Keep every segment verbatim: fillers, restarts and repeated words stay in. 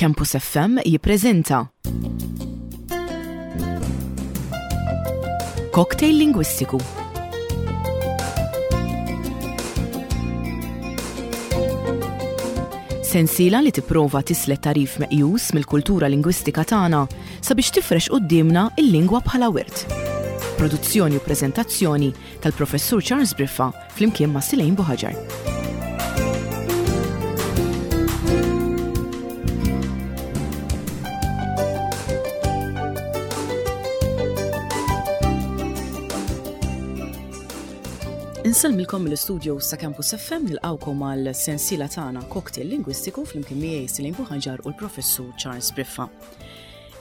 Campus F M jippreżenta Cocktail Lingwistiku. Sensiela li tipprova tislet tarif meqjus mill-kultura lingwistika tagħna sabiex tifrex quddiemna il-lingwa bħala wirt. Produzzjoni u preżentazzjoni tal-Professur Charles Briffa flimkien ma' Silejn Buħaġar. Insellmilkom mill-istudio sa' Campus F M, nilqawkom għal sensiela tagħna Cocktail Lingwistiku flimkien miegħi Silejn Buħaġar u l-Professur Charles Briffa.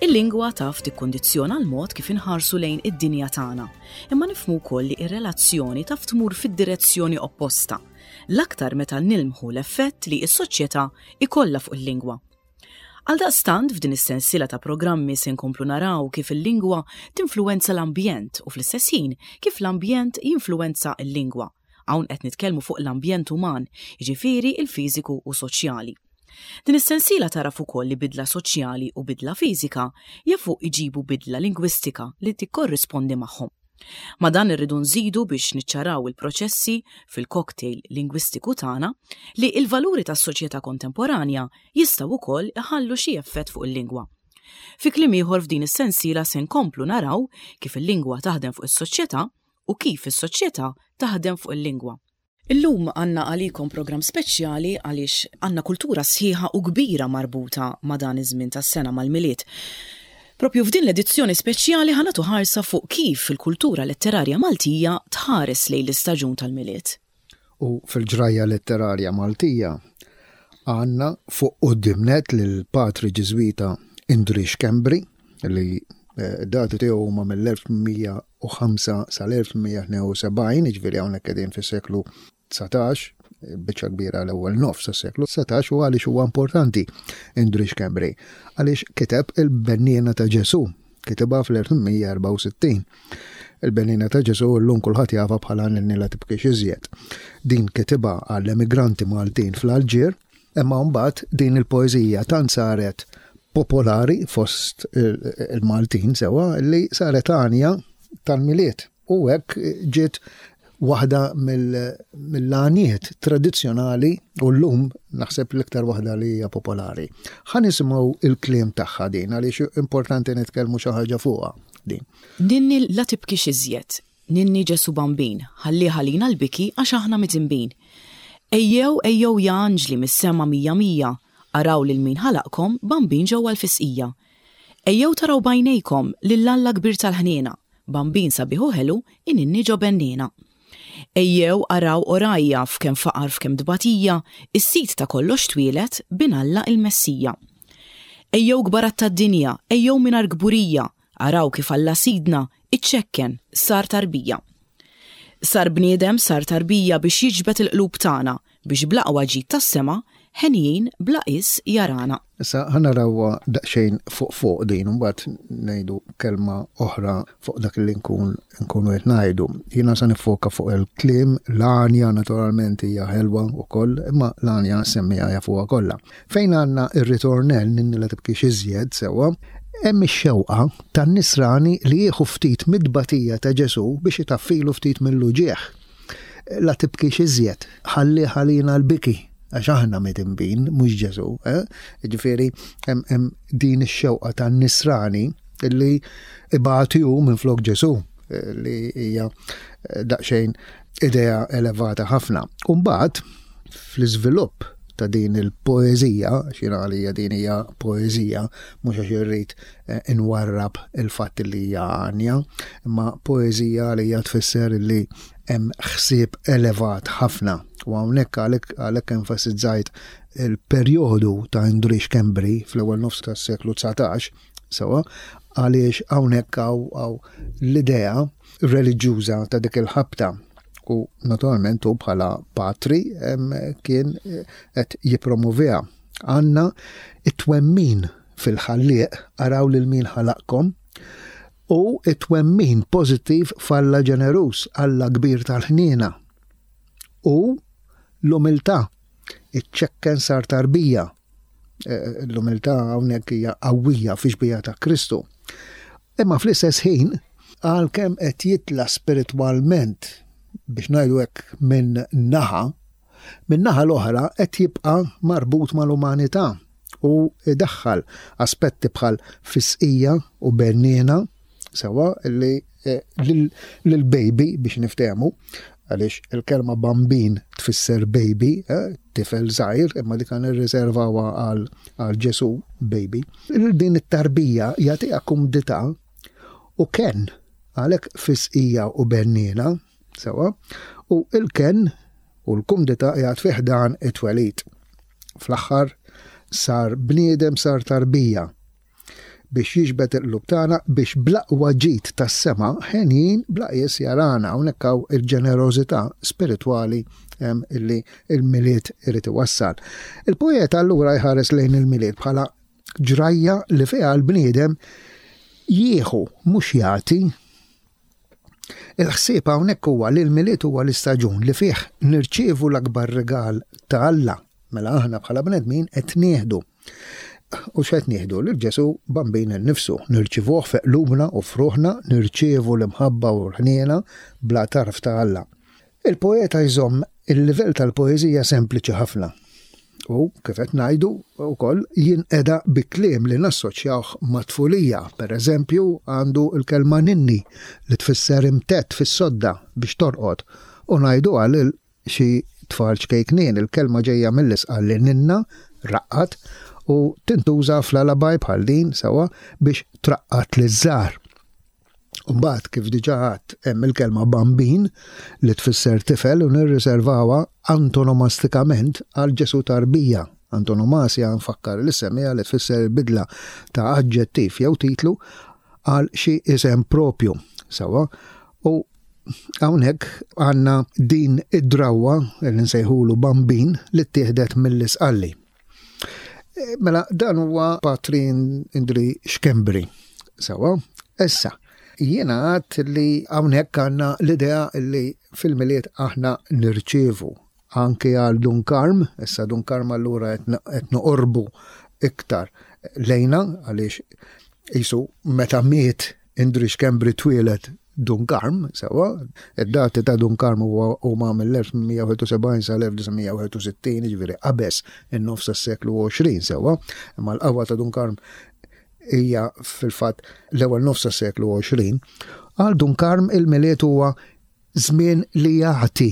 Il-lingwa taf tikkondizzjona l-mod kif inħarsu lejn id-dinja tagħna, imma nifhmu wkoll li ir-relazzjoni taf tmur fid-direzzjoni opposta, l-aktar meta nilmħu l-effett li s-soċjetà ikollha fuq il-lingwa. Għaldaqstant, f'din is-sensiela ta' programmi se nkomplu naraw kif il-lingwa tinfluwenza l-ambjent u fl-istess ħin kif l-ambjent jinfluwenza l-lingwa. Hawn qed nitkellmu fuq l-ambjent uman, jiġifieri il-fiżiku u soċjali. Din is-sensiela taraf ukoll li bidla soċjali u bidla fiżika jafu iġibu bidla lingwistika li tikkorrispondi magħhom. Ma' dan irridu nżidu, biex niċċaraw il-proċessi fil-cocktail lingwistiku tagħna, li il-valuri tas-soċjetà kontemporanja jistgħu wkoll iħallu xi effett fuq il-lingwa. Fi kliem ieħor, f'din is-sensiela se nkomplu naraw kif il-lingwa taħdem fuq is-soċjetà u kif is-soċjetà taħdem fuq il-lingwa. Illum għandna għalikom program speċjali għaliex għandna kultura sħiħa u kbira marbuta ma' dan iż-żmien tas-sena, mal-Milied. Propju f'din l-edizzjoni speċjali ħa nagħtu ħarsa fuq kif il-kultura letterarja Maltija tħares lejn l-istaġun tal-Milied. U fil-ġrajja letterarja Maltija għandna fuq quddiem nett lil Patri Ġiżwita Indri Schembri, li eh, dati tiegħu huma mill-elf u mija u ħamsa sal-elf u mija u tnejn u sebgħin, jiġifieri hawnhekk qegħdin fis-seklu dsatax, biċċa kbira l-ewwel nofs tas-seklu dsatax. U għaliex huwa importanti Indri Schembri? Għaliex kiteb il-Benniena ta' Ġesu, kitibha fl-elf u mija u erbgħa u sittin. Il-Benniena ta' Ġesu llum kulħadd jafha bħala Ninni la tibkix iżjed. Din kitibha għall-emigranti Maltin fl-Alġir, imma mbagħad din il-poeżija tant saret popolari fost il-Maltin sewa li saret għanja tal-Milied. U hekk ġiet waħda mill-għaniet tradizzjonali u llum naħseb l-iktar waħda li hija popolari. Ħa nisimgħu il-kliem tagħha din, għaliex importanti nitkellmu xi ħaġa fuqha din. Ninni la tibkix iżjed, ninni Ġesu Bambin, ħalli ħalina l-biki għax aħna midinbin. Ejjew, ejjew ja anġli mis-sema mija mija, araw lil min ħalaqkom bambin ġewwa l-fisqija. Ejjew taraw b'għajnejkom lil Alla kbir tal-ħniena, bambin sabiħ u ħelu ininni ġo benniena. Ejjew araw orajja f'kemm faqar, f'kemm dbatija, is-sid ta' kollox twieled, bin Alla il-Messija. Ejjew kbarat tad-dinja, ejjew mingħajr kburija, araw kif Alla sidna iċċekken sar tarbija. Sar bniedem, sar tarbija biex jiġbed il-qlub tagħna, biex bl-aqwa ġid tas-sema henjin bla qis jarana. Issa ħa narawha daqsxejn fuq fuq din, mbagħad ngħidu kelma oħra fuq dak li nkun nkunu qed ngħidu. Jiena sa nifoka fuq il-kliem, l-għanja naturalment hija ħelwa wkoll, imma l-għanja semmija jafuha kollha. Fejn għandna ir-ritornell "Ninni la tibkix iżjed" sewwa, hemm ix-xewqa tan-nisrani li jieħu ftit mid-batija ta' Ġesu biex itaffilu ftit mill-uġieħ. La tibkix iżjed, ħalli ħalina l-biki, għax aħna midinbin, mhux Ġesu. Eh? Ġifieri, hemm din ix-xewqa tan-nisrani li ibati hu minn flok Ġesu, eh, li hija eh, daqsxejn idea elevata ħafna. Umbagħad, fl-iżvilupp ta' din il-poezija, xina għalija din hija poezija, mhux għax irrid eh, inwarrab il-fatt li hija għanja, imma poezija li hija tfisser li hemm ħsieb elevat ħafna. U hawnhekk għalhekk għalhekk enfasizzajt il-perjodu ta' Indri Schembri fl-ewwel nofs tas-seklu dsatax, sewa, għaliex hawnhekk hawn l-idea reliġjuża ta' dik il-ħabta u naturalment u bħala patri kien eh, qed jippromoviha. Għandna it-twemmin fil-ħallieq, araw lil min ħalaqkom, u it-twemmin pożittiv f'Alla ġenerus, Alla kbir tal-ħniena. U l-umiltà, iċ-ċekken sar tarbija. L-umiltà hawnhekk hija qawwija fi xbieha ta' Kristu. Imma fl-istess ħin, għalkemm qed jitla spiritwalment biex ngħidu hekk minn naħa, minn naħa l-oħra qed jibqa' marbut mal-umanità u idaħħal aspetti bħal fisqija u benniena sewa li lil-baby biex niftehmu, għaliex il-kelma bambin tfisser baby, eh, tifel żgħir, imma dik kan irriservawha għal Ġesu baby. Din it-tarbija jagħtiha kumdità u ken, għalhekk fisqija u benniena, sewa, u il-ken u l-kumdità jgħad fih dan it-twelid. Fl-aħħar sar bniedem, sar tarbija biex jiġbed il-qlub tagħna biex bl-aqwa ġid tas-sema ħenjin bla qies jarana. Hawnhekk hawn il-ġenerożità spiritwali illi il-Milied irid iwassal. Il-poeta allura jħares lejn il-Milied bħala ġrajja li fiha l-bniedem jieħu mhux jagħti. Il-ħsieb hawnhekk huwa li l-Milied huwa l-istaġun li fih nirċievu l-akbar rigal ta' Alla. Mela aħna bħala bnedmin qed nieħdu. U x'qed nieħdu? Lil Ġesu Bambin innifsu, nirċivuh fi qlubna u f'ruħna, nirċievu l-imħabba u l-ħniena bla tarf ta' Alla. Il-poeta jżomm il-livell tal-poeżija sempliċi ħafna. U kif qed ngħidu wkoll jinqeda bi kliem li nassoċjawh ma' tfulija. Per eżempju, għandu l-kelma ninni li tfisser imtett fis-sodda biex torqod u ngħidu għal xi tfal ċkejknien. Il-kelma ġejja mill-isqal li ninna raqqat u tintuża fl-alabaj bħal din sewa biex traqqat liż-żgħar. Mbagħad kif diġà għadt hemm il-kelma bambin li tfisser tifel u nirriservawha antonomastikament għal Ġesu tarbija. Antonomasja nfakkar li semmija li tfisser bidla ta' aġġettiv jew titlu għal xi isem propju sewa. U hawnhekk għandna din id-drawwa li nsejħulu bambin li ttieħdet mill-isqalli. Mela dan huwa Patri Indri Schembri. Sewa, issa jiena għadt li hawnhekk għandna l-idea li fil-Milied aħna nirċievu anke għal Dun Karm, issa Dun Karm allura qed noqorbu iktar lejna għaliex qisu meta miet Indri Schembri twieled Dun Karm, sewa, id-dati ta' Dun Karm huma mill-elf tmien mija wieħed u sebgħin sa l-elf disa' mija wieħed u sittin, jiġifieri qabeż in-nofs tas-seklu għoxrin, sewa, imma l-qawwa ta' Dun Karm hija fil-fatt l-ewwel nofs tas-seklu għoxrin. Għal Dun Karm il-Milied huwa żmien li jagħti.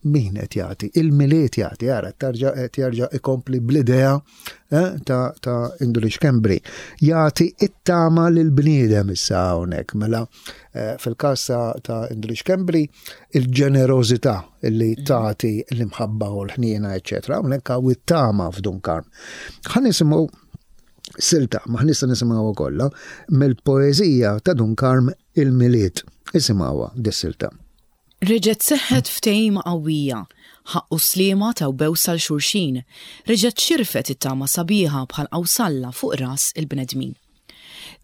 Min qed jagħti? Il-Milied jagħti, ara, tarġa' qed jerġa' ikompli bl-idea, eh, ta', ta' Indri Schembri. Jagħti it-tama lill-bniedem issa hawnhekk. Mela, eh, fil-każ ta', ta' Indri Schembri, il-ġenerożità li tagħti l-imħabba u l-ħniena, eċċetera. Hawnhekk hawn it-tama f'Dun Karm. Ħa nisimgħu silta, ma ħnista nisimgħuha kollha, mill-poeżija ta' Dun Karm Il-Milied. Isimgħuha dis-silta. Reġgħet seħħet ftehima qawwija, ħaqqu sliema taw bewsa l xulxin, reġgħet xirfet it-tama sabiħa bħal qawsalla fuq ras il-bnedmin.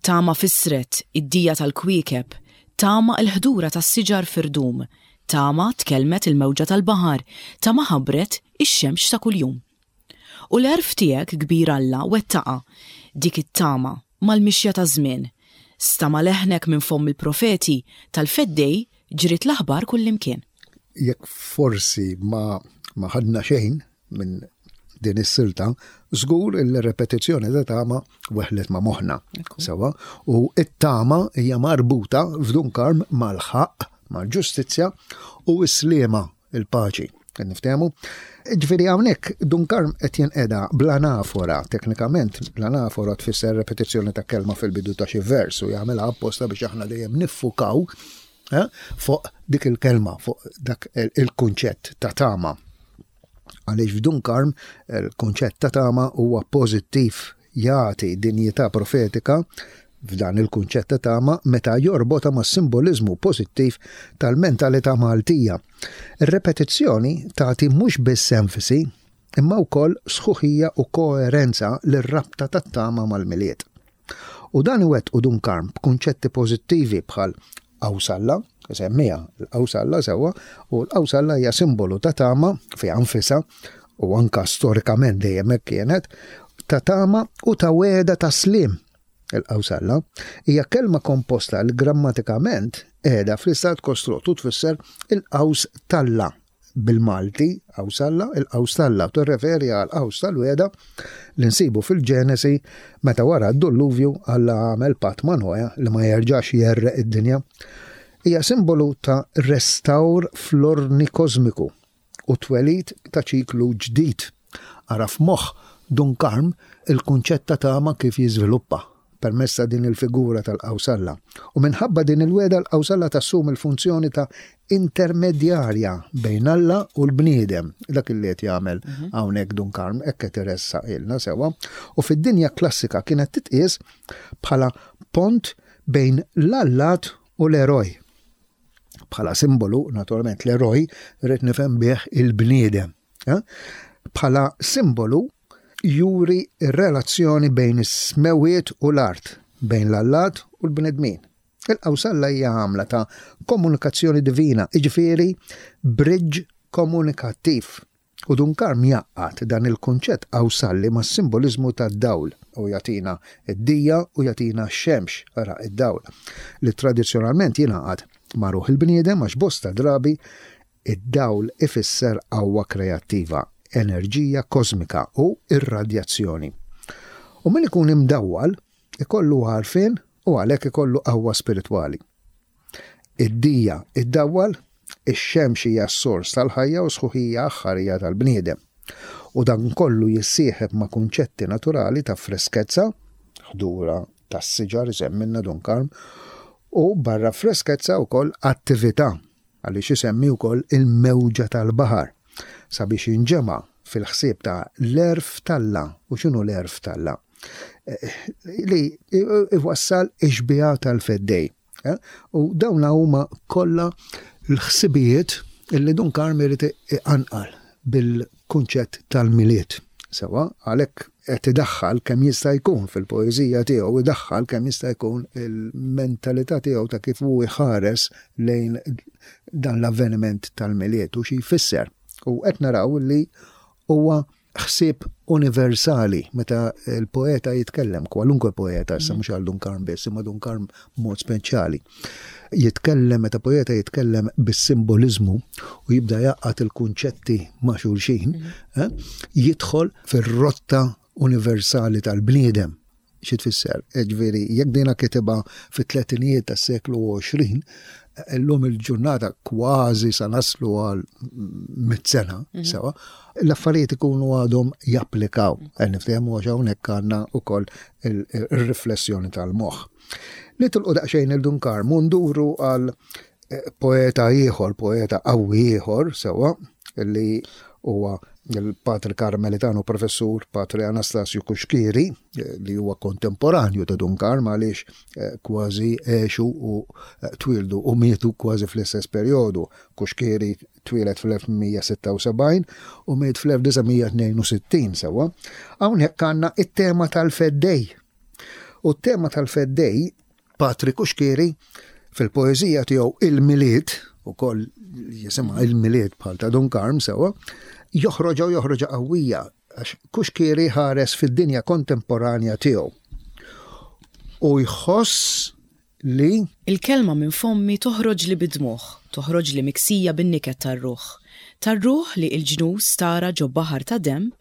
Tama fisret id-dija tal-kwiekeb, tama l-ħdura tas-siġar firdum, tama tkellmet il-mewġa tal-baħar, tama ħabbret ix-xemx ta' kuljum. U l-għerf tiegħek kbir Alla wettaqa dik it-tama mal-mixja ta' żmien. Stama leħnek minn fomm il-profeti tal-feddej ġrit l-aħbar kullimkien. Jekk forsi ma, ma ħadna xejn minn din is-silta, żgur il-repetizzjoni ta' tama weħlet ma' moħħna. Ekku. Sewa, u it-tama hija marbuta f'Dun Karm mal-ħaqq, mal-ġustizzja u s-sliema, il-paċi. Qed niftehmu? Ġifieri hawnhekk Dun Karm qed jinqeda bl-anafora, teknikament l-anafora tfisser repetizzjoni ta' kelma fil-bidu ta' xi vers u jagħmilha apposta biex aħna dejjem niffukaw, eh, fuq dik il-kelma, fuq dak il-, il-kunċett ta' tama. Għaliex f'Dun Karm il-kunċett ta' tama huwa pożittiv, jagħti dinjità profetika f'dan il-kunċett ta' tama meta jorbota ma' simboliżmu pożittiv tal-mentalità Maltija. Ir-repetizzjoni tagħti mhux biss enfasi, imma wkoll sħuħija u koerenza lir-rabta tat-tama mal-Milied. U dan iwettqu Dun Karm b'kunċetti pożittivi bħal qawsalla, semmija l-qawsalla sewwa, u l-qawsalla hija simbolu ta' tama fiha nfisha u anka storikament dejjem hekk kienet, ta' tama u ta' wegħda ta' sliem. Il-qawsalla hija kelma komposta li grammatikament qiegħda fl-istat kostrott u tfisser il-qaws t'Alla. Bil-Malti, qawsalla, il-qaws t'Alla, tirreferi għal qaws tal-wegħda li nsibu fil-Ġenesi meta wara d-dulluvju Alla għamel patt ma' Noè li ma jerġax jgħerreq id-dinja. Hija simbolu ta' restawr fl-ordni kosmiku u twelid ta' ċiklu ġdid. Ara f'moħħ Dun Karm il-kunċett ta' tama kif jiżviluppa permezz ta' din il-figura tal-qawsalla. U minħabba din il-wegħda l-qawsalla tassum il-funzjoni ta' intermedjarja bejn Alla u l-bniedem. Dak li qed jagħmel hawnhekk Dun Karm, hekk qed iressaq ilna sewwa. U fid-dinja klassika kienet titqies bħala pont bejn l-allat u l-eroj. Bħala simbolu, naturalment, l-eroj rrid nifhem bih il-bniedem. Eh? Bħala simbolu juri r-relazzjoni bejn is-smewiet u l-art, bejn l-allat u l-bnedmin. Il-qawsalla hija għamla ta' komunikazzjoni divina, jiġifieri bridge komunikattiv. U Dun Karm jgħaqqad dan il-kunċett qawsalli mas simbolizmu tad-dawl u jagħtina id-dija u jagħtina x-xemx, ara id-dawl, li tradizzjonalment jingħaqad ma' ruħ il-bniedem għax bosta drabi id-dawl ifisser qawwa kreattiva, enerġija kosmika u irradjazzjoni. U min ikun imdawwal ikollu għarfien u għalhekk ikollu qawwa spiritwali. Id-dija iddawwal, ix-xemx hija s-sors tal-ħajja u sħuħija aħħarija tal-bniedem. U dan kollu jissieħeb ma' kunċetti naturali ta' freskezza, ħdura tas-siġar isemmilna Dun Karm, u barra freskezza wkoll attività, għaliex isemmi wkoll il-mewġa tal-baħar, sabiex jinġema' fil-ħsieb ta' l-għerf t'Alla. U x'inhu l-għerf t'Alla? Eh, li iwassal ix-xbieha tal-feddej. Eh? U dawn huma kollha l-ħsibijiet illi Dun Karm irid iqanqal bil-kunċett tal-Milied. Sewa, għalhekk qed idaħħal kemm jista' jkun fil-poeżija tiegħu, idaħħal kemm jista' jkun il-mentalità tiegħu ta' kif hu jħares lejn dan l-avveniment tal-Milied u xi jfisser. U qed naraw li huwa ħsieb universali meta l-poeta jitkellem, kwalunkwe poeta, issa mhux għal Dun Karm biss, imma Dun Karm b'mod speċjali. Jitkellem, meta poeta jitkellem bis-simbolizmu u jibda jgħaqqad il-kunċetti ma' xulxin, eh, jidħol fir-rotta universali tal-bniedem. Xi tfisser? Ġifieri, jekk dina kitibha fit-tletinijiet tas-seklu għoxrin, illum il-ġurnata kważi sa naslu għal mitt sena, Mhm. sewa, l-affarijiet ikunu għadhom japplikaw. Qed niftehmu għax hawnhekk għandna wkoll il-, il-riflessjoni tal-moħħ. Nitilqu daqsxejn il-Dun Karm u nduru għal, eh, poeta ieħor, poeta qawwi ieħor, sewa, li huwa il-Patri Karmelitano Professur Patri Anastasio Cuschieri, eh, li huwa kontemporanju ta' Dun Karm għaliex, eh, kważi għexu u, eh, twildu u mietu kważi fl-istess perjodu. Cuschieri twieled fl-elf mija sitta u sebgħin u miet fl-elf disa' mija tnejn u sittin, sewa. Hawnhekk għandna it-tema tal-Feddej. U t-tema tal-Feddej, Patri Cuschieri, fil-poeżija tiegħu Il-Milied, ukoll jisimha Il-Milied bħal ta' Dun Karm, sewa, joħroġa u joħroġa qawwija, għax Cuschieri ħares fid-dinja kontemporanja tiegħu. U jħoss li Il-kelma minn fommi toħroġ li bidmuħ, toħroġ li miksija bin-niket tar-ruħ. Tar-ruħ li il-ġnus tara ġo baħar ta' dem,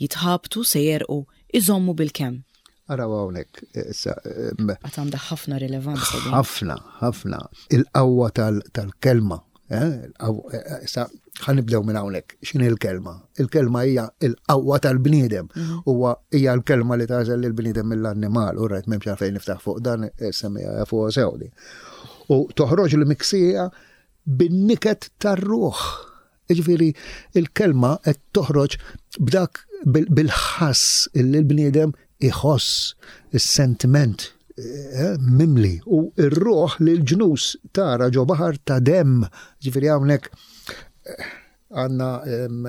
jitħabtu se jerqu, iżommu bil-kemm. Araw hawnhekk, issa, em, Għad għandha ħafna rilevanza din. Ħafna, ħafna. Il-qawwa tal-, tal-kelma. Eh? Il-qawwa, eh, issa, ħa nibdew minn hawnhekk. X'inhi l-kelma? Il-kelma hija l-qawwa tal-bniedem. Mhm. Huwa hija l-kelma li tagħżel lill-bniedem mill-annimal. U rajt m'hemmx għalfejn niftaħ fuq dan, eh, semmija fuq sewdi. U toħroġ l-miksija bin-niket tar-ruħ. Jiġifieri il-kelma qed toħroġ b'dak bil-, bil-ħass illi l-bniedem iħoss, is-sentiment, eh, mimli u r-ruħ li l-ġnus tara ġo baħar ta' dem. Ġifieri hawnhekk, eh, għandna, em,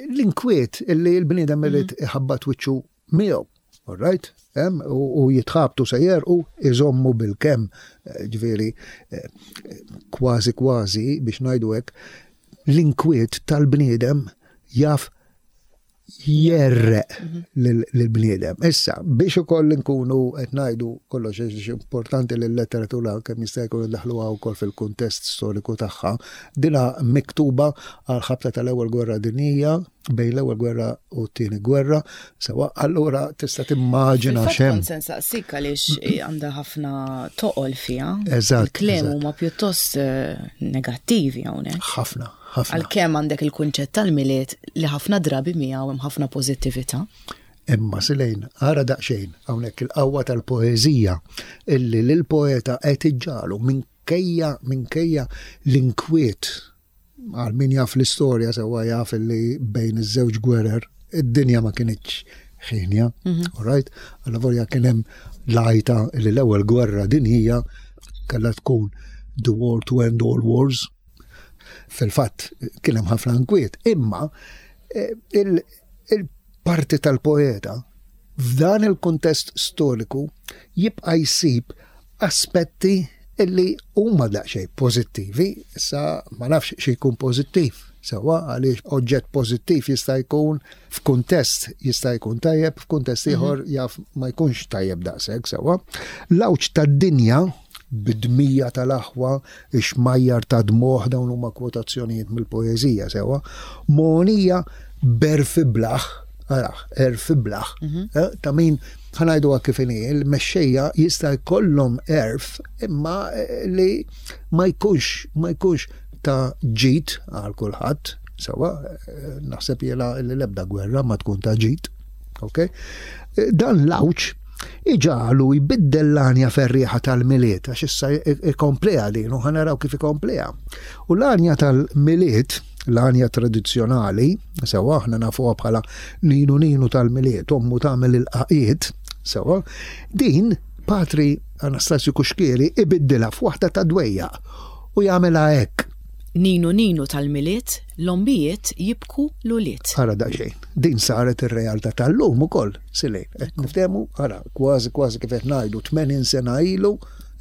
l-inkwiet illi l-bniedem irid Mhm. iħabbat wiċċu miegħu. All right? Em, u, u jitħabtu se jerqu iżommu bil-kemm. Eh, ġifieri, eh, kważi kważi biex ngħidu hekk, l-inkwiet tal-bniedem jaf Jerreq lill-bniedem. Issa, biex ukoll nkunu qed ngħidu kollox, għax importanti li l-letteratura kemm jista' jkun indaħluha wkoll fil-kuntest storiku tagħha, dina miktuba għal ħabta tal-Ewwel Gwerra Dinjija, bejn l-Ewwel Gwerra u t-Tieni Gwerra, sewa allura tista' timmaġina Fil-fatt x'hemm. kont se nsaqsik għaliex għandha ħafna toqol fiha. Eżatt, Il-kliem eżatt. huma pjuttost eh, negattivi hawnhekk. Ħafna, ħafna. Għalkemm għandek il-kunċett tal-Milied li ħafna drabi miegħu hemm ħafna pożittività. Imma Silejn, ara daqsxejn hawnhekk il-qawwa tal-poeżija illi lill-poeta qed iġġagħlu minkejja minkejja l-inkwiet. Għal min jaf l-istorja sewwa jaf illi bejn iż-żewġ gwerer id-dinja ma kinitx ħienja, all right? Allavolja kien hemm lajta li l-Ewwel Gwerra Dinjija kellha tkun the war to end all wars. Fil-fatt kien hemm ħafna inkwiet, imma eh, il- il-parti tal-poeta f'dan il-kuntest storiku jibqa' jsib aspetti illi huma daqsxejn pożittivi. Issa ma nafx xi jkun pożittiv. Sewa, għaliex oġġett pożittiv jista' jkun f'kuntest jista' jkun tajjeb, f'kuntest ieħor jaf ma jkunx tajjeb daqshekk, sewa. L-għawġ tad-dinja bid-dmija tal-aħwa, ix-xmajjar ta' dmugħ, dawn huma kwotazzjonijiet mill-poeżija, sewa. Mogħnija b'għerf iblah, araħ, għerf iblah, eh, ta' min ħa ngħidu kif inhi, il-mexxejja jista' jkollhom għerf imma eh, li ma jkunx ma jkunx ta' ġid għal kulħadd, sewa, eh, naħseb jiena li l-ebda gwerra ma tkun ta' ġid, ok? Eh, Dan l-għawġ iġagħlu jbiddel l-għanja ferrieħa tal-Milied, għax issa ikompleha din, u ħa naraw kif ikompleha. U l-għanja tal-Milied, l-għanja tradizzjonali, sewa aħna nafuha bħala Ninu Ninu tal-Milied, ommu tagħmel il-qaqiet, sewa, din Patri Anastasju Cuschieri ibiddilha f'waħda ta' dwejjaq u jagħmilha hekk. Ninu Ninu tal-Milied, l-ommijiet jibku l-ulied. Ara daqsxejn, din saret ir-realtà tal-lum ukoll, Silejn. Qed niftehmu, ara, kważi kważi kif qed ngħidu tmenin sena ilu,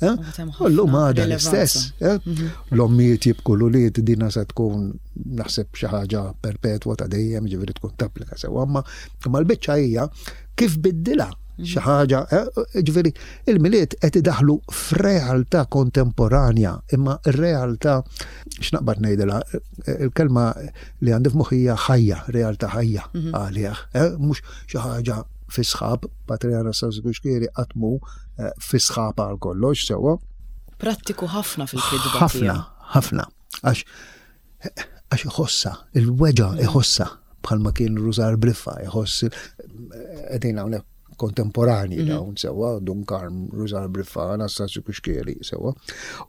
eh? U hemm U llum ħafna għadha rilevanza. l-istess. eh? L-ommijiet jibku l-ulied, dina se tkun naħseb xi ħaġa perpetwa ta' dejjem, ġifieri tkun tapplika sewa, imma imma l-biċċa hija kif biddilha xi ħaġa, eh, ġifieri il-Milied qed idaħlu f'realtà kontemporanja, imma r-realtà x'naqbad ngħidilha, eh, il-kelma li għandi f'moħħi hija ħajja, realtà ħajja għalih, eh, mhux xi ħaġa fi sħab. Patri Anastasju Cuschieri qatt mhu eh, fi sħab għal kollox, sewwa. Prattiku ħafna fil-kitba Ħafna, tiegħu. ħafna. Għax għax iħossa, il-weġgħa iħossa, bħalma kien Rużar Briffa, iħoss qegħdin hawnhekk kontemporani dawn sewwa, Dun Karm, Rużar Briffa, Anastasju Cuschieri, sewwa.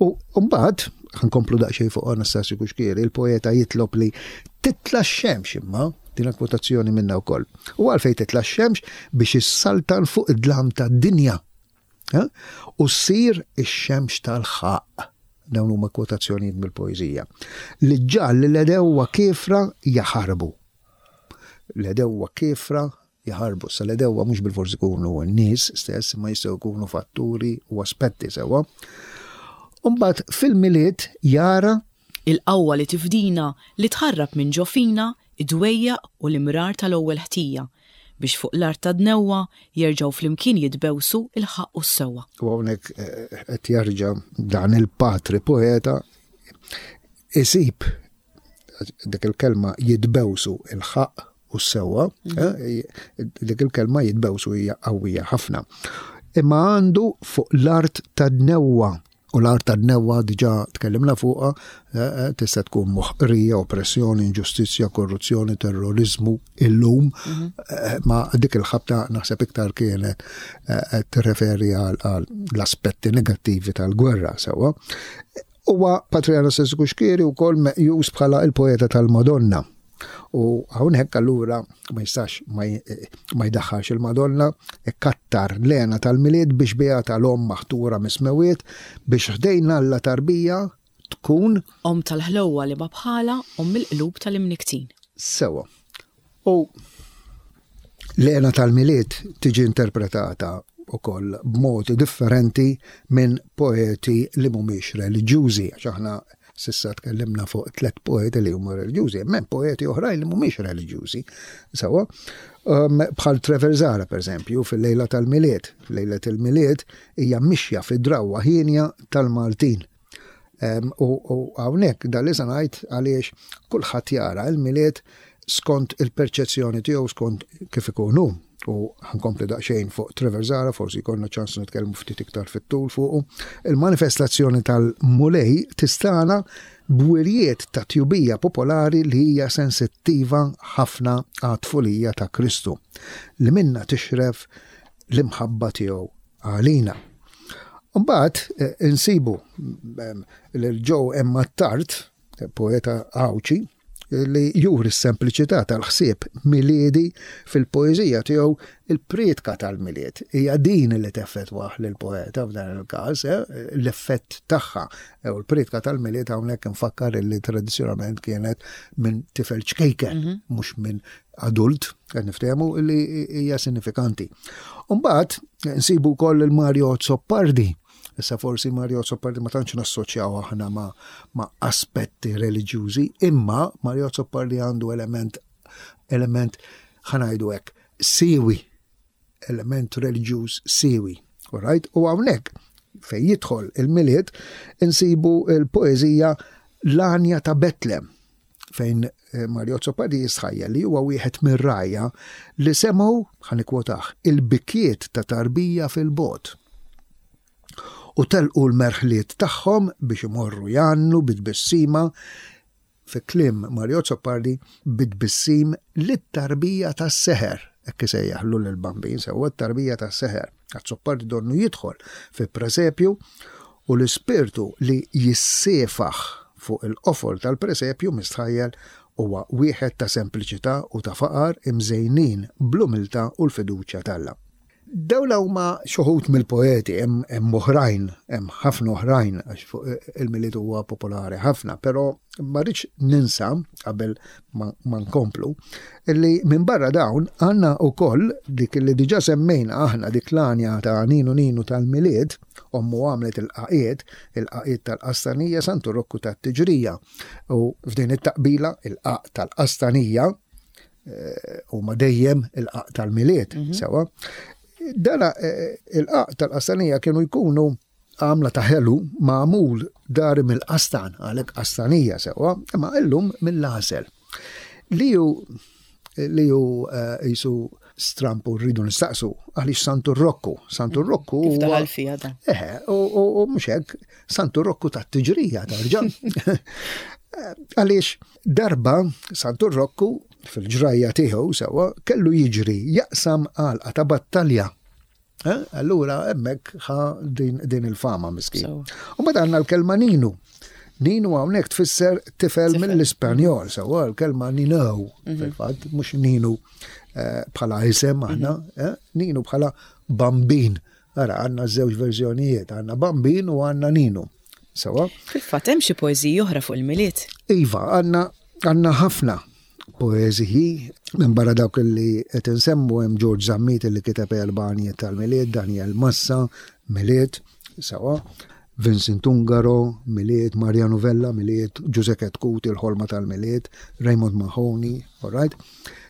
U mbagħad ħa nkomplu daqsxejn fuq Anastasju Cuschieri, il-poeta jitlob li titla' x-xemx, imma dina kwotazzjoni minna wkoll. U għalfejn titla' x-xemx? Biex issaltan fuq id-dlam tad-dinja. Eh? U ssir ix-xemx tal-ħaqq. Dawn huma kwotazzjonijiet mill-poeżija. Li ġġagħal li l-għedewwa kiefra jaħarbu. L-għedewwa kiefra jaħarbu. Sa l-għedewwa mhux bilfors ikunu n-nies stess, ma jistgħu jkunu fatturi u aspetti, sewwa. Umbagħad fil-Milied jara il-qawwa li tifdina, li tħarrab minn ġo fina id-dwejjaq u l-imrar tal-ewwel ħtija, biex fuq l-art ta' dnewwa jerġgħu flimkien jitbewsu il-ħaqq u s-sewwa. U hawnhekk eh, qed jerġa' dan il-patri poeta isib dik il-kelma jitbewsu il-ħaqq u s-sewwa, eh, dik il-kelma jitbewsu hija qawwija ħafna. Imma għandu fuq l-art ta' dnewwa, u l-art ta' dnewwa diġà tkellimna fuqha, eh, eh, tista' tkun moħqrija, oppressjoni, inġustizzja, korruzzjoni, terrorizmu illum, eh, ma dik il-ħabta naħseb iktar kienet eh, tirreferi għal għal l-aspetti negattivi tal-gwerra, sewwa. Huwa Patri Anastasju Cuschieri wkoll meqjus bħala il-poeta tal-Madonna. U hawnhekk allura ma jistax ma j- ma jdaħħalx il-Madonna, ikkattar l-hena tal-Milied biex biha tal-omm maħtura mis-smewiet biex ħdejn Alla tarbija tkun Om tal-ħlewwa li ma bħala, om il-qlub tal-imniktin. Sewa. U l-hena tal-Milied tiġi interpretata ukoll b'modi differenti minn poeti li mhumiex reliġjużi, għax aħna S'issa tkellimna fuq tliet poeti li huma reliġjużi, hemm poeti oħrajn li mhumiex reliġjużi. Sewwa, um, bħal Trevor Zahra, per eżempju, fil-lejla tal-Milied. Lejla tal-Milied hija mixja fid-drawwa hienja tal-Maltin. Um, u hawnhekk dal li ngħid għaliex kulħadd jara il-Milied skont il-perċezzjoni tiegħu, skont kif ikunu. U ħa nkompli daqsxejn fuq Trevor Zahra, forsi jkollna ċans nitkellmu ftit iktar fit-tul fuqu. Il-manifestazzjoni tal-Mulej tistana b'wirjiet ta' tjubija popolari li hija sensittiva ħafna għat-tfulija ta' Kristu, li minna tixref l-imħabba tiegħu għalina. Mbagħad eh, insibu lil Joe Emma Tart, poeta Għawdxi, li juri s-sempliċità tal-ħsieb miliedi fil-poeżija tiegħu "Il-Prietka tal-Milied". Hija din li teffettwah lill-poeta f'dan il-każ, eh, l-effett tagħha. U l-Prietka tal-Milied hawnhekk nfakkar li tradizzjonalment kienet minn tifel ċkejken, mhm. mhux minn adult, qed niftehmu li hija sinifikanti. Mbagħad nsibu wkoll il-Mario Azzopardi. Issa forsi Mario Azzopardi ma tantx nassoċjaw aħna ma, ma aspetti reliġjużi, imma Mario Azzopardi għandu element element ħa ngħidu hekk, siwi, element reliġjuż siwi. Alright? U hawnhekk fejn jidħol il-Milied insibu il-poeżija "L-Għanja ta' Betlem", fejn eh, Mario Azzopardi jistħajja li huwa wieħed mir-rgħajja li semgħu, ħa nikkwotaħ, il-bikkiet ta' tarbija fil-bogħod u telqu l-merħliet tagħhom biex imorru jgħannu bit-tbissima, fi kliem Mario Azzopardi, bit-tbissim lit-tarbija tas-seħer, hekk isejjaħlu l-bambin, sewwa, t-tarbija tas-seħer. Azzopardi donnu jidħol fi presepju u l-ispirtu li jissiefaħ fuq il-qofol tal-presepju mistħajjel huwa wieħed ta' sempliċità u ta' faqar imżejnin bl-umiltà u l-fiduċja t'Alla. Dawn huma xi wħud mill-poeti, hemm oħrajn, hemm ħafna oħrajn għax fuq il-Milied huwa popolari ħafna, però ma rridx ninsa qabel ma nkomplu illi minn barra dawn għandna wkoll dik li diġà semmejna aħna, dik l-għanja ta' Ninu Ninu tal-Milied, ommu għamlet il-qaqiet, il-qaqiet tal-qastanija, Santu Rokku tat-tiġrija. U f'din it-taqbila il-qaq tal-qastanija eh, huma dejjem il-qaq tal-Milied, mhm. sewwa. Dana eh, il-qaq tal-qastanija kienu jkunu għamla ta' ħelu magħmul dari mill-qastan, għalhekk qastanija, sewwa, imma illum mill-għasel. Li ju li ju eh, jisu strampu, rridu nistaqsu għaliex Santu Rokku. Santu mm, Rokku. Kif daħal fija da? Eħe, u mhux hekk, Santu Rokku ta' tiġrija tarġa'. Għaliex darba Santu Rokku fil-ġrajja tiegħu, sewwa, kellu jiġri jaqsam għalqa ta' battalja. Eh? Allura hemmhekk ħa din, din il-fama miskin. U mbagħad għandna l-kelma Ninu. Ninu hawnhekk tfisser tifel mill-Ispanjol, sewwa, l-kelma Nino mhm. fil-fatt, mhux Ninu eh, bħala isem aħna, mhm. eh, Ninu bħala bambin. Ara, għandna żewġ verżjonijiet, għandna bambin u għandna Ninu. Sewwa? Fil-fatt hemm xi poeżiji oħra fuq il-Milied. Iva, għandna għandna ħafna poeżiji minn barra dawk li qed insemmu. Hemm George Zammit li kiteb erba' għanjiet tal-Milied, Daniel Massa, Milied, sewwa, Vincent Ungaro, Milied, Mariano Vella, Milied, Giuseppe Kuti, "Il-Ħolma tal-Milied", Raymond Mahoney, all right?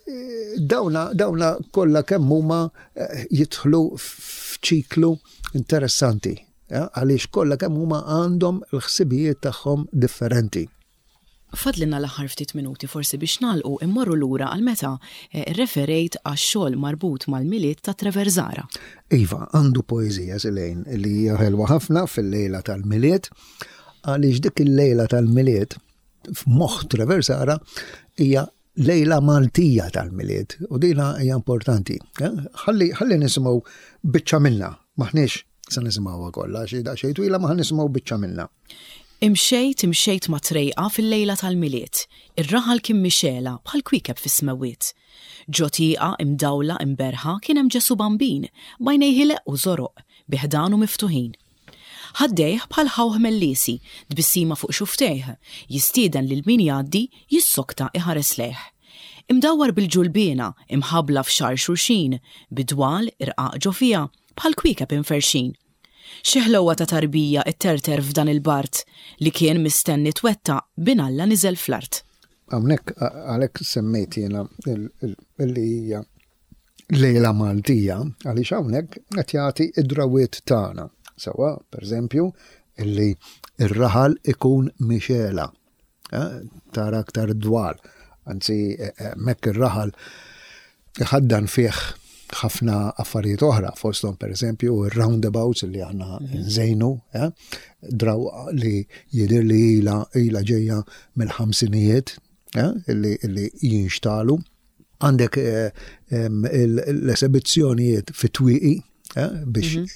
Eh, dawna, dawna kollha kemm huma eh, jidħlu f'ċiklu interessanti, għaliex kollha kemm huma għandhom il-ħsibijiet tagħhom differenti. Fadlilna l-aħħar ftit minuti, forsi biex nagħlqu immorru lura għal meta eh, referejt għax-xogħol marbut mal-Milied ta' Trevor Zahra. Iva, għandu poeżija silejn li hija ħelwa ħafna fil-lejla tal-Milied, għaliex dik il-lejla tal-Milied f'moħħ Trevor Zahra hija lejla Maltija tal-Milied u dina hija importanti. Eh? Ħalli ħalli nisimgħu biċċa minna, maħniex se nisimgħuha kollha, xi daqsxejn twila, ma nisimgħu biċċa minna. Imxejt, imxejt ma' trejqa fil-lejla tal-Milied. Ir-raħal kien mixgħela bħal kwiekeb fis-smewwiet. Ġo tieqa imdawla imberħa kien hemm Ġesu Bambin, b'għajnejh ileqqu żoroq, bi ħdanu miftuħin. Ħaddejh bħal ħawħ mellisi, tbissima fuq xufftejh, jistieden lil min jgħaddi jissokta iħares lejh. Imdawwar bil-ġulbiena, imħabbla f'xagħar xulxin, bidwal irqaq ġo fiha, bħal kwiekeb inferxin. Xi ħlowa ta' tarbija itterter f'dan il-bart li kien mistenni twettaq bin Alla niżel fl-art. Hawnhekk għalhekk semmejt jiena illi hija lejla Maltija, għaliex hawnhekk qed jagħti id-drawiet tagħna. Sewwa, pereżempju, illi ir-raħal ikun mixela, eh, tara aktar dwal. Anzi, eh, eh, mekk ir-raħal ħaddan fih ħafna affarijiet oħra, fosthom pereżempju ir-roundabouts li aħna mhm. nżejnu, eh, draw li jidir li ila ila ġejja mill-ħamsinijiet, eh, illi, illi jinxtalu. Għandek eh, l-esebizzjonijiet fit-twieqi biex mhm.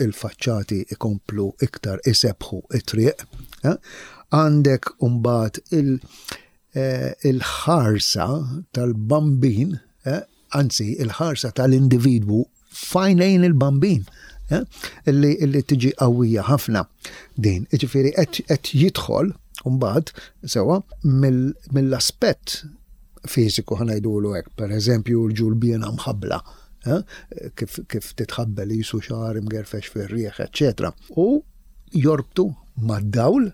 il-faċċati ikomplu iktar isebħu it-triq. Għandek umbagħad il-ħarsa tal-bambin, anzi il-ħarsa tal-individwu f'għajnejn il-bambin, eh, illi, illi tiġi qawwija ħafna din. Ġifieri qed jidħol mbagħad sewwa mill-aspett fiżiku ħa ngħidulu hekk, per eżempju l-ġulbiena mħabbla, eh, kif, kif titħabbel jisu xagħar imgerfex fir-rieħ, eċċetera. U jorbtu mad-dawl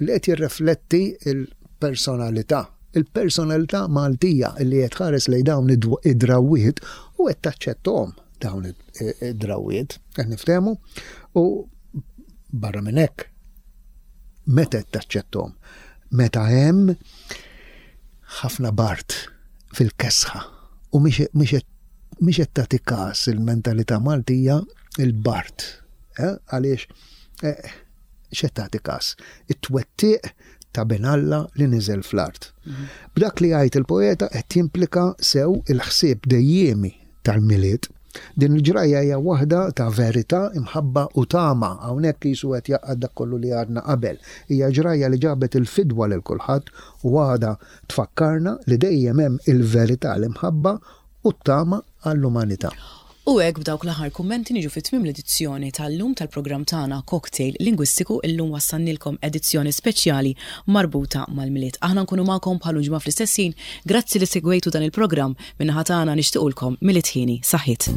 li qed jirrefletti il-personalità il-personalità Maltija li qed tħares lejn dawn id-drawiet u qed taċċettom dawn id-drawiet, qed niftehmu, u barra minn hekk meta qed taċċettom? Meta hemm ħafna bard fil-kesħa u mhix qed tagħti każ il-mentalità Maltija il-bard. Eh, għaliex eh, x'qed tagħti każ? It-twettiq ta' bin Alla li niżel fl-art. Mhm. B'dak li jgħid il-poeta qed jimplika sew il-ħsieb dejjiemi tal-Milied. Din il-ġrajja hija waħda ta' verità, imħabba u tama. Hawnhekk qisu qed jgħaqqad dak kollu li għadna qabel. Hija ġrajja li ġabet il-fidwa lil kulħadd u għadha tfakkarna li dejjem hemm il-verità, l-imħabba u t-tama għall-umanità. U hekk b'dawk l-aħħar kummenti niġu fi tmiem l-edizzjoni tal-lum tal-programm tagħna Cocktail Lingwistiku. Illum wassannilkom edizzjoni speċjali marbuta mal-Milied. Aħna nkunu magħkom bħal ġimgħa fl-istess ħin. Grazzi li segwejtu dan il-programm. Min-naħa tagħna nixtiequlkom Milied ħieni. Saħħit.